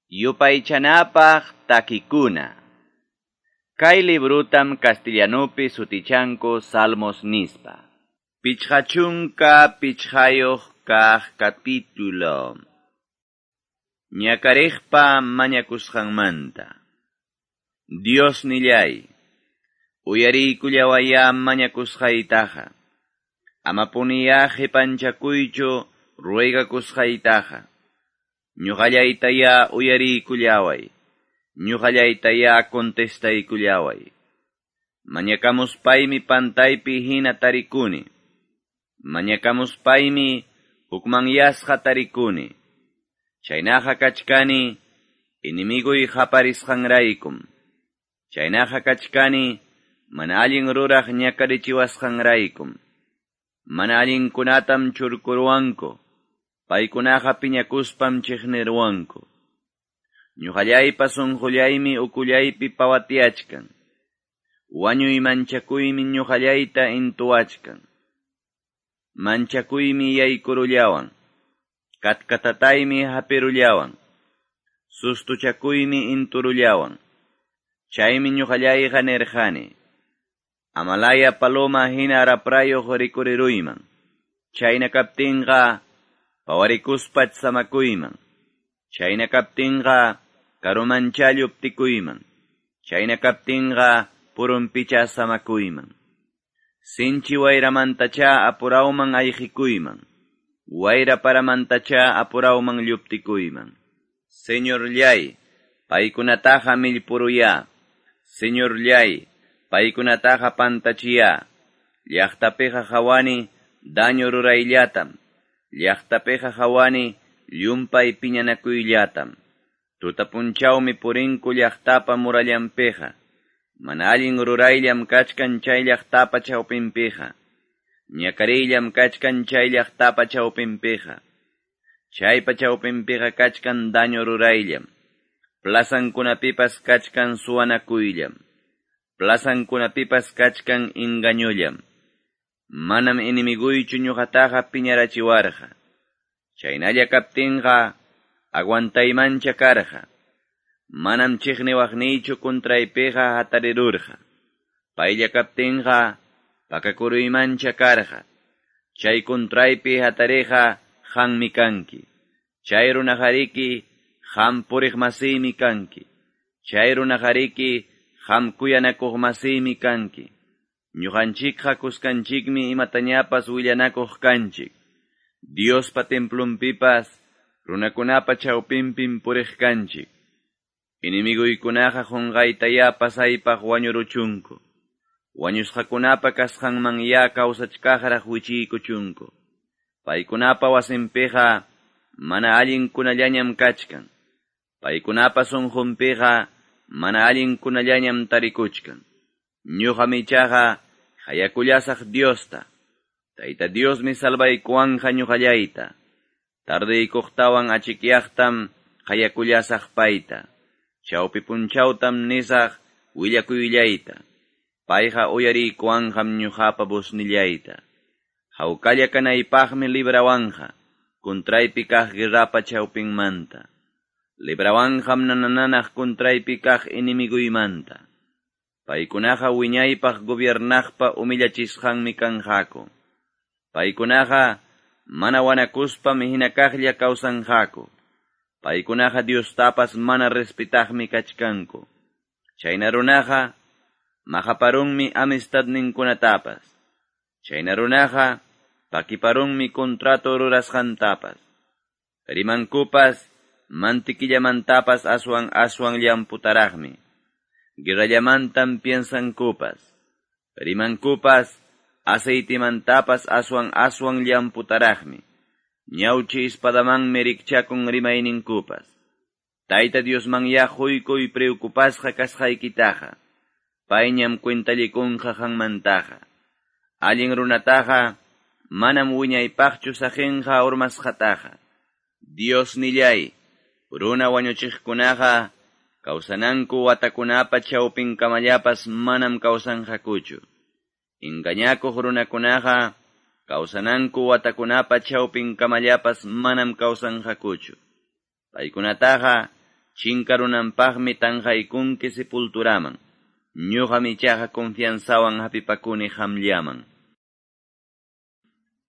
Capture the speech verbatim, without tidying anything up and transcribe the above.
Yupaychanapaq takikuna. Kay librutam castellanupi sutichanku Salmos nispa. Pichqa chunka pichqayuq kaq capítulo. Ñakariqpa mañakusqanmanta. Dios nillay, uyariykullawaya mañakusqaytaqa. Amapuniya qipanchakuychu ruegakusqaytaqa. Ñuqallaytaya uyariykullaway. Ñuqallaytaya contestaykullaway. Mañakamuspaymi pantaypi hina tarikuni. Mañakamuspaymi hukmanyasqa tarikuni. Chaynaqa kachkani enemiguy qaparisqanraykum. Chaynaqa kachkani mana allin ruraq ñakarichiwasqanraykum. Mana allinkunatam churkuruwanku. Paykunaqa piñakuspam chiqniruwanku. Ñuqallaypa sunqullaymi ukullaypi pawatiachkan. Wañuy manchakuymi ñuqallayta intuwachkan. Manchakuymi yaykurullawan. Katkatataymi hapirullawan. Sustuchakuymi inturullawan. Chaymi ñuqallayqa nirqani. Amalaya paloma hina raprayuq rikuriruyman. Chayna kaptinqa pawarikuspa samakuyman. Chayna kaptinqa karumancha lluptikuyman. Chayna kaptinqa purunpicha samakuyman. Sinchi wayramantacha apurawman ayqikuyman. Wayra paramantacha apurawman lluptikuyman. Señorllay, paykunataqa millpuruya. Señorllay, paykunataqa pantachiya. Llaqtapiqa hawani daño rurayllatam. Llaqtapiqa hawani llumpay piñanakuyllatam. Tutapunchawmi purinku llaqtapa murallanpiqa. Mana allin rurayllam kachkan chay llaqtapa chawpinpiqa. Ñakariyllam kachkan chay llaqtapa chawpinpiqa. Chaypa chawpinpiqa kachkan daño rurayllam. Plazankunapipas kachkan suwanakuyllam. Plazankunapipas kachkan engañollam. Manam enemiguychu ñuqataqa piñarachiwarqa. Chaynalla kaptinqa aguantaymancha karqa. Manam chiqniwaqniychu contraypiqa hatarirurqa. Paylla kaptinqa pakakuruymancha karqa. Chay contraypi hatariqa qammi kanki. Chay runaqariki qam puriqmasiymi kanki. Chay runaqariki qam kuyanakuqmasiymi kanki. Ñuqanchikqa kuskanchikmi imatañapas willanakuq kanchik. Diospa templunpipas runakunapa chawpinpim puriq kanchik. Enemiguykunaqa qunqaytaya pasaypaq wañuruchunku. Wañusqakunapa kasqanman ya kawsachkaqraq wichiykuchunku. Paykunapa wasinpiqa mana allinkunallañam kachkan. Paykunapa sunqunpiqa mana allinkunallañam tarikuchkan. Ñuqam ichaqa hayakullasaq Diosta. Tayta Diosmi salvaykuwanqa ñuqallayta. Tardeykuqtawan achikyaqtam hayakullasaq payta. Chawpi punchawtam nisaq willakuyllayta. Payqa uyariykuwanqam ñuqapa busnillayta. Hawkalla kanaypaqmi librawanqa, contraypi kaq guerrapa chawpinmanta. Librawanqam nanananaq contraypi kaq enemigoymanta. Paykunaqa wiñaypaq gobiernaqpa humillachisqanmi kanqaku. Paykunaqa mana wanakuspam hina kaqlla kawsanqaku. Paykunaqa Diostapas mana respetaqmi kachkanku. Chayna runaqa maqaparunmi amistadninkunatapas. Chayna runaqa pakiparunmi contrato rurasqantapas. Rimankupas mantiquillamantapas aswan aswan llamputaraqmi. Guerrallamantam piensankupas. Rimankupas aceitimantapas aswan aswan llamputaraqmi. Ñawchi espadamanmi rikchakun rimayninkupas. Tayta Diosman ya huykuy preocupasqa kasqaykitaqa. Payñam cuentallikunqa qanmantaqa. Allin runataqa manam wiñaypaqchu saqinqa urmasqataqa. Dios nillay, runa wañuchiqkunaqa kawsananku watakunapa chawpinkamallapas manam kawsanqakuchu. Engañakuq runakunaqa kawsananku watakunapa chawpinkamallapas manam kawsanqakuchu. Paykunataqa Chinkarunanpaqmi tanqaykunki sepulturaman. Ñoqam ichaqa confianzawan hapipakuni qamllaman.